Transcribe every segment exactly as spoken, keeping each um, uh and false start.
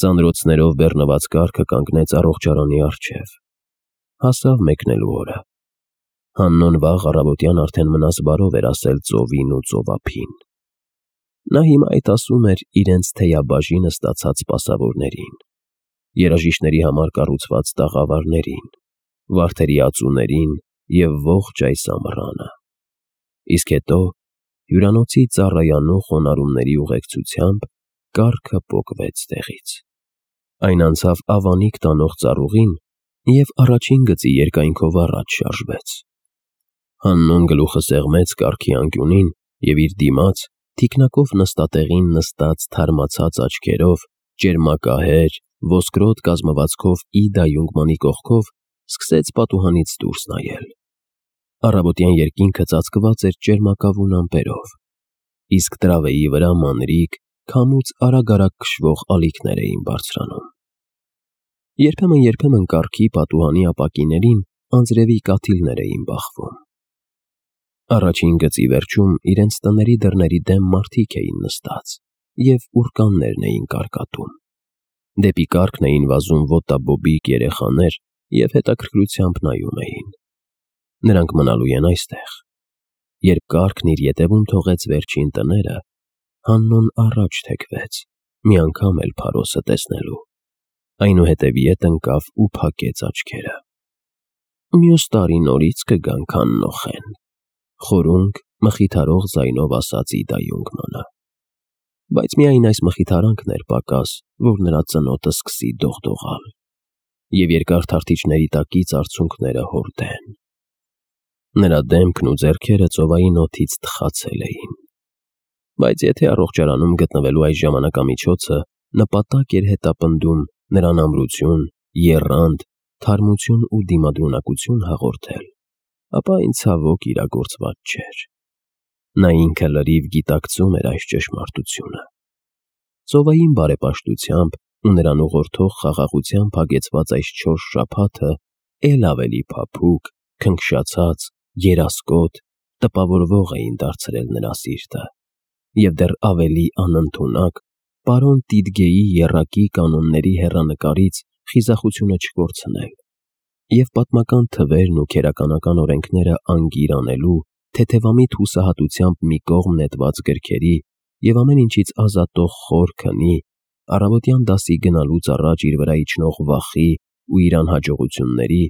Ծանրոցներով բեռնված կառքը կանգնեց առողջարանի առջև։ Հասավ մեկնելու օրը։ Հաննոն վաղ առավոտյան արդեն մնաս բարով էր ասել ծովին ու ծովափին։ Նա հիմա այդ ասում էր իրենց թեյաբաժինը ստացած սպասավորներին, երաժիշտների համար կառուցված տաղավարներին, վարդերի ածուներին և ողջ այս ամռանը։ Իսկ հետո հյուրանոցի ծառայանու խոնարհումների ուղեկցությամբ կառքը պոկվեց տեղից։ Այն անցավ ավանիկ տանող ծառուղին և առաջին գծի երկայնքով առաջ շարժվեց։ Հաննոն գլուխը սեղմեց կառքի անկյունին և իր դիմաց, թիկնակով նստատեղին նստած թարմացած աչքերով, ճերմակահեր, ոսկրոտ կազմվածքով Իդա Յունգմանի կողքով սկսեց պատուհանից դուրս նայել։ Առավոտյան երկինքը ծածկված էր ճերմակավուն ամպերով, իսկ տրավեի վրա մանրիկ, քամուց արագ-արագ քշվող ալիքներ էին բարձրանում։ Երբեմն-երբեմն կառքի պատուհանի ապակիներին անձրևի կաթիլներ էին բախվում։ Առաջին գծի վերջում իրենց տների դռների դեմ մարդիկ էին նստած և ուռկաններն էին կարկատում։ Դեպի կառքն էին վազում ոտաբոբիկ երեխաներ և հետաքրքրությամբ նայում էին։ Նրանք մնալու են այստեղ։ Երբ կառքն իր ետևում թողեց վերջին տները, Հաննոն առաջ թեքվեց, մի անգամ էլ Փարոսը տեսնելու, այնուհետև ետ ընկավ ու փակեց աչքերը։ «Մյուս տարի նորից կգանք Հաննոխեն», խորունկ, մխիթարող ձայնով ասաց Իդա Յունգմանը։ Բայց միայն այս մխիթարանքն էր պակաս, որ նրա ծնոտը սկսի դողդողալ, և երկար թարթիչների տակից արցունքները հորդեն։ Նրա դեմքն ու ձեռքերը ծովային օդից թխացել էին։ Բայց եթե առողջարանում գտնվելու այս ժամանակամիջոցը նպատակ էր հետապնդում նրան ամրություն, եռանդ, թարմություն ու դիմադրունակություն հաղորդել, ապա այն ցավոք իրագործված չէր։ Նա ինքը լրիվ գիտակցում էր այս ճշմարտությունը։ Ծովային բարեպաշտությամբ ու նրան ուղղորդող խաղաղությամբ հագեցված այս չորս շաբաթը էլ ավելի փափուկ, քնքշացած, երասկոտ, տպավորվող էին դարձրել նրա սիրտը, և դեռ ավելի անընդունակ պարոն Տիդգեի եռակի կանոնների հեռանկարից խիզախությունը չկորցնել և պատմական թվերն ու քերականական օրենքները անգիր անելու, թեթևամիտ հուսահատությամբ մի կողմ նետված գրքերի և ամեն ինչից ազատող խոր քնի, առավոտյան դասի գնալուց առաջ իր վրա իջնող վախի ու իր անհաջողությունների,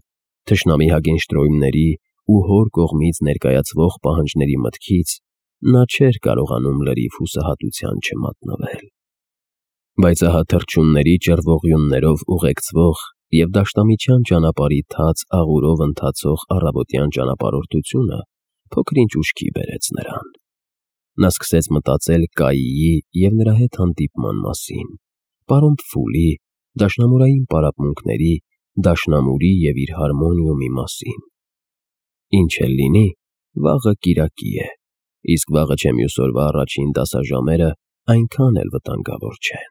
թշնամի Հագենշտրոյմների ու հոր կողմից ներկայացվող պահանջների մտքից նա չէր կարողանում լրիվ հուսահատության չմատնվել։ Բայց ահա թռչունների ճռվողյուններով ուղեկցվող և դաշտամիջյան ճանապարհի թաց աղուրով ընթացող առավոտյան ճանապարհորդությունը փոքր-ինչ ուշքի բերեց նրան։ Նա սկսեց մտածել Կայիի և նրա հետ հանդիպման մասին, պարոն Փֆուլի, դաշնամուրային պարապմունքների, դաշնամուրի և իր հարմոնիումի մասին։ Ինչ էլ լինի, վաղը կիրակի է, իսկ վաղը չէ մյուս օրվա առաջին դասաժամերը այնքան էլ վտանգավոր չեն։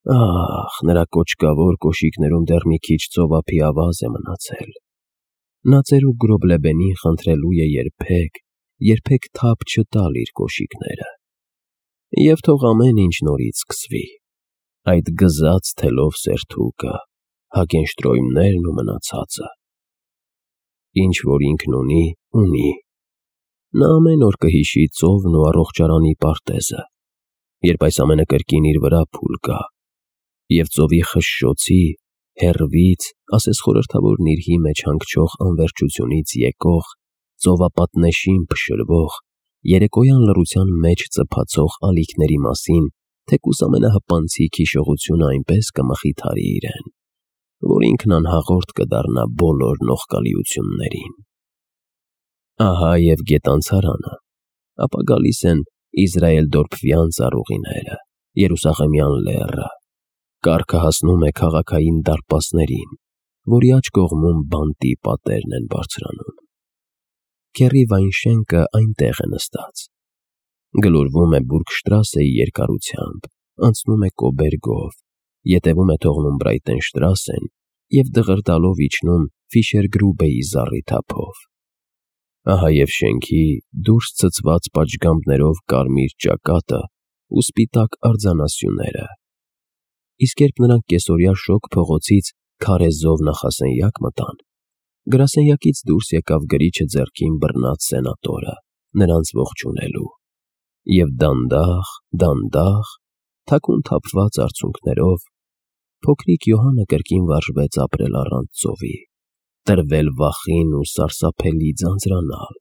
Ահ, նրա կոճկավոր կոշիկներում դեռ մի քիչ ծովափի ավազ է մնացել։ Նա ծերուկ Գրոբլեբենին խնդրելու է երբեք, երբեք թափ չտալ իր կոշիկները։ Եվ թող ամեն ինչ նորից սկսվի, այդ գզած թելով սերթուկը, Հագենշտրոյմներն ու մնացածը։ Ինչ որ ինքն ունի, ունի։ Նա ամեն օր կհիշի ծովն ու առողջարանի պարտեզը, երբ այս ամենը կրկին իր վրա փուլ կա, և ծովի խշշոցի, հեռվից, ասես խորհրդավոր նիրհի մեջ հանգչող անվերջությունից եկող, ծովապատնեշին փշրվող, երեկոյան լռության մեջ ծփացող ալիքների մասին թեկուզ ամենահպանցիկ հիշողությունը այնպես կմխիթարի իրեն, որ ինքն անհաղորդ կդառնա բոլոր նողկալիություններին։ Ահա և գետանցարանը, ապա գալիս են Իզրայել֊Դորփվյան ծառուղիները, Երուսաղեմյան լեռը, կառքը հասնում է քաղաքային դարպասներին, որի աջ կողմում բանտի պատերն են բարձրանում։ Քեռի Վայնշենկը այնտեղ է նստած։ Գլորվում է Բուրգշտրասեի երկարությամբ, անցնում է Կոբերգով, ետևում է թողնում Բրայտենշտրասեն և դղրդալով իջնում Ֆիշերգրուբեի զառիթափով։ Ահա և շենքի դուրս ցցված պատշգամբներով կարմիր ճակատը ու սպիտակ արձանասյուները։ իսկ երբ նրանք կեսօրյա շոգ փողոցից քարե զով նախասենյակ մտան, գրասենյակից դուրս եկավ գրիչը ձեռքին բռնած սենատորը, նրանց ողջունելու, և դանդաղ, դանդաղ, թաքուն թափված արցունքներով փոքրիկ Յոհանը կրկին վարժվեց ապրել առանց ծովի, տրվել վախին ու սարսափելի ձանձրանալ,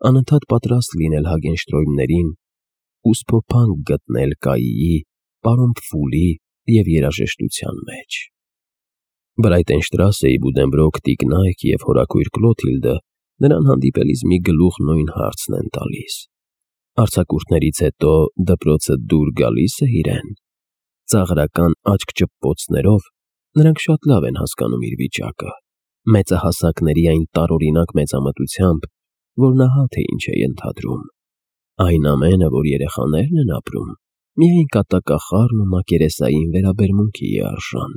անընդհատ պատրաստ լինել Հագենշտրոյմներին ու սփոփանք գտնել Կայիի, պարոն Պֆուլի և երաժշտության մեջ։ Բրայտենշտրասեի Բուդենբրոկ տիկնայք և հորաքույր Կլոթիլդը նրան հանդիպելիս մի գլուխ նույն հարցն են տալիս. արձակուրդներից հետո դպրոցը դուր գալի՞ս է իրեն։ Ծաղրական աչք-ճպպոցներով նրանք շատ լավ են հասկանում իր վիճակը, մեծահասակների այն տարօրինակ մեծամտությամբ, որ նա հա թե ինչ է ենթադրում։ Այն ամենը, որ երեխաներն են ապրում, միայն կատակախառն ու մակերեսային վերաբերմունքի է արժան։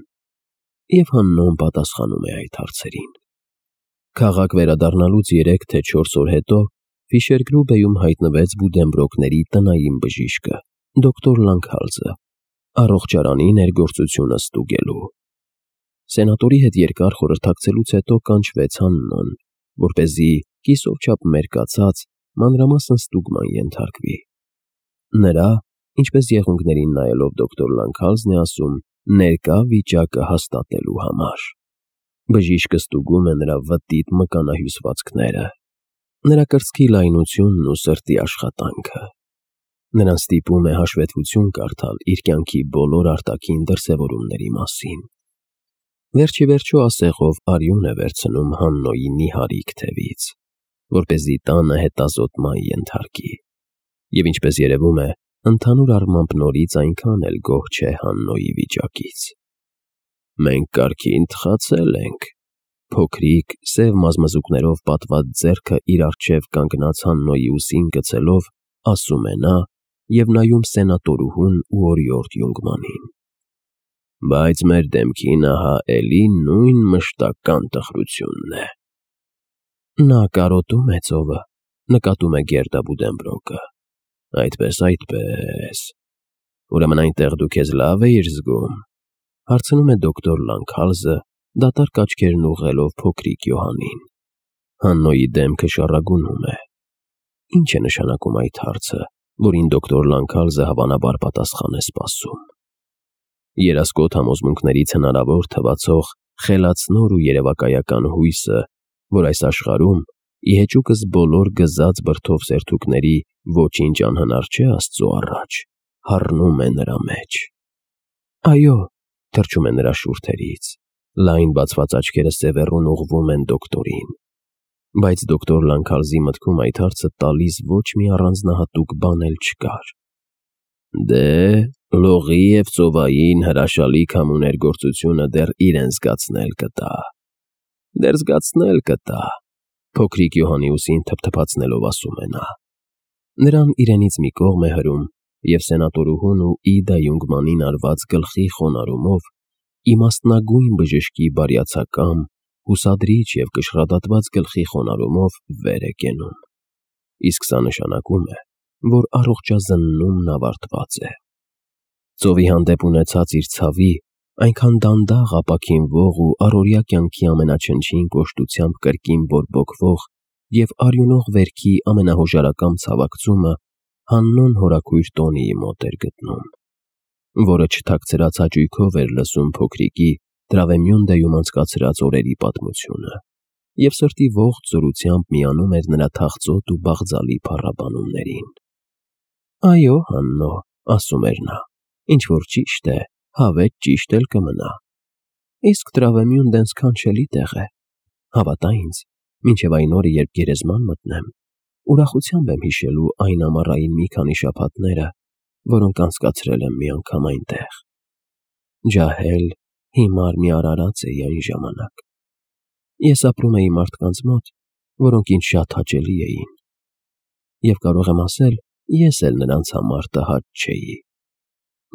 Եվ Հաննոն պատասխանում է այդ հարցերին։ Քաղաք վերադառնալուց երեք թե չորս օր հետո Ֆիշերգրուբեում հայտնվեց Բուդենբրոկների տնային բժիշկը, դոկտոր Լանքհալզը, առողջարանի ներգործությունը ստուգելու։ Սենատորի հետ երկար խորհրդակցելուց հետո կանչվեց Հաննոն, որպեսզի կիսով չափ մերկացած մանրամասն ստուգման ենթարկվի։ Նրա, ինչպես եղունգներին նայելով դոկտոր Լանքհալզն է ասում, ներկա վիճակը հաստատելու համար։ Բժիշկը ստուգում է նրա վտիտ մկանահյուսվածքները, նրա կրծքի լայնությունն ու սրտի աշխատանքը։ Նրան ստիպում է հաշվետվություն կարդալ իր կյանքի բոլոր արտաքին դրսևորումների մասին։ Վերջիվերջո ասեղով արյուն է վերցնում Հաննոյի նիհարիկ թևից, որպեսզի տանը հետազոտման ենթարկի։ Եվ ինչպես երևում է, ընդհանուր առմամբ նորից այնքան էլ գոհ չէ Հաննոյի վիճակից։ Մենք կարգին թխացել ենք։ Փոքրիկ, սև մազմզուկներով պատված ձեռքը իր առջև կանգնած Հաննոյի ուսին գցելով, ասում է նա և նայում սենատորուհուն ու օրիորդ Յունգմանին։ Բայց մեր դեմքին ահա էլի նույն մշտական տխրությունն է։ Նա կարոտում է ծովը, նկատում է Գերդա Բուդենբրոկը։ Այդպես, այդպես, ուրեմն այնտեղ դու քեզ լավ էիր զգում, հարցնում է դոկտոր Լանքհալզը, դատարկ աչքերն ուղղելով փոքրիկ Յոհանին։ Հաննոյի դեմքը շառագունում է։ Ինչ է նշանակում այդ հարցը, որին դոկտոր Լանքհալզը հավանաբար պատասխան է սպասում։ Երասկոտ համոզմունքներից հնարավոր թվացող խելացնոր ու երևակայական հույսը, որ այս աշխարհում ի հեճուկս բոլոր գզած բրդով սերթուկների ոչինչ անհնար չէ Աստծո առաջ, հառնում է նրա մեջ։ Այո, թռչում է նրա շուրթերից, լայն բացված աչքերը սևեռուն ուղղվում են դոկտորին։ Բայց դոկտոր Լանքհալզի մտքում այդ հարցը տալիս ոչ մի առանձնահատուկ բան էլ չկար։ Դե, լողի և ծովային հրաշալի քամու ներգործությունը դեռ իրեն զգացնել կտա։ Դեռ զգացնել կտա, փոքրիկ Յոհանի ուսին թփթփացնելով ասում է նա։ Նրան իրենից մի կողմ է հրում և սենատորուհուն ու Իդա Յունգմանին արված գլխի խոնարհումով իմաստնագույն բժշկի բարյացակամ, հուսադրիչ և կշռադատված գլխի խոնարհումով վեր է կենում։ Իսկ սա նշանակում է, որ առողջազննումն ավարտված է։ Ծովի հանդեպ ունեցած իր ցավի, այնքան դանդաղ ապաքինվող ու առօրյա կյանքի ամենաչնչին կոշտությամբ կրկին բորբոքվող և արյունող վերքի ամենահոժարակամ ցավակցումը Հաննոն հորաքույր Տոնիի մոտ էր գտնում, որը չթաքցրած հաճույքով էր լսում փոքրիկի Տրավեմյոնդեում անցկացրած օրերի պատմությունը և սրտի ողջ զորությամբ միանում էր նրա թախծոտ ու բաղձալի փառաբանումներին։ Այո, Հաննո, ասում էր նա, ինչ-որ ճիշտ է, հավեթ ճիշտ էլ կմնա։ Իսկ Տրավեմյոնդեն սքանչելի տեղ է։ Հավատա ինձ, մինչև այն օրը, երբ գերեզման մտնեմ, ուրախությամբ եմ հիշելու այն ամառային մի քանի շաբաթները, որոնք անցկացրել եմ մի անգամ այնտեղ։ Ջահել, հիմար մի արարած էի այն ժամանակ։ Ես ապրում էի մարդկանց մոտ, որոնք ինձ շատ հաճելի էին։ Եվ կարող եմ ասել, ես էլ նրանց համար տհաճ չէի,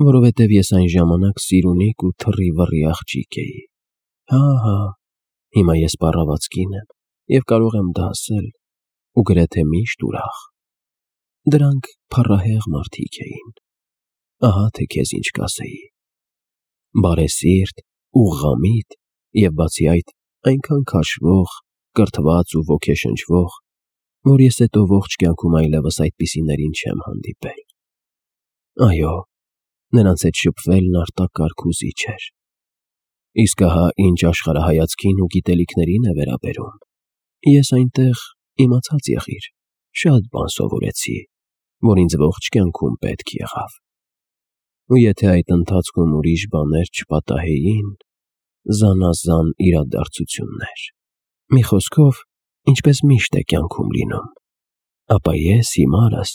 որովհետև ես այն ժամանակ սիրունիկ ու թռի-վռի աղջիկ էի։ Հա, հա, հիմա ես պառաված կին եմ և կարող եմ դա ասել ու գրեթե միշտ ուրախ։ Դրանք փառահեղ մարդիկ էին։ Ահա թե քեզ ինչ կասեի։ բարեսիրտ, ուղղամիտ և բացի այդ այնքան քաշվող, կրթված ու ոգեշնչվող, որ ես հետո ողջ կյանքում այլևս այդպիսիներին չեմ հանդիպել։ Այո, նրանց հետ շփվելն արտակարգ ու զիջ էր։ Իսկ ահա ինչ աշխարհայացքին ու գիտելիքներին է վերաբերում, ես այնտեղ, իմացած եղիր, շատ բան սովորեցի, որ ինձ ողջ կյանքում պետք եղավ։ Ու եթե այդ ընթացքում ուրիշ բաներ չպատահեին, զանազան իրադարձություններ, մի խոսքով, ինչպես միշտ է կյանքում լինում, ապա ես հիմարս,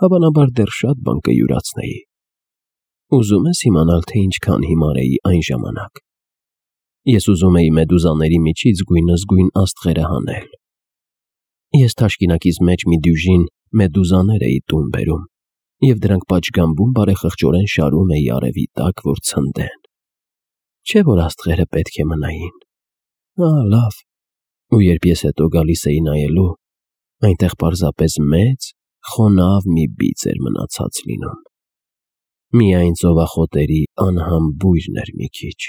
հավանաբար դեռ շատ բան կյուրացնեի։ Ուզում ես իմանալ, թե ինչքան հիմար էի այն ժամանակ։ Ես ուզում էի մեդուզաների միջից գույնզգույն աստղերը հանել։ Ես թաշկինակիս մեջ մի դյուժին մեդուզաներ էի տուն բերում, և դրանք պատշգամբում բարեխղճորեն շարում էի արևի տակ, որ ցնդեն։ Չէ՞ որ աստղերը պետք է մնային։ Ահա լավ, ու երբ ես հետո գալիս էի նայելու, այնտեղ պարզապես մեծ, խոնավ մի բիծ էր մնացած լինում։ Միայն ծովախոտերի անհամ բույրն էր մի քիչ։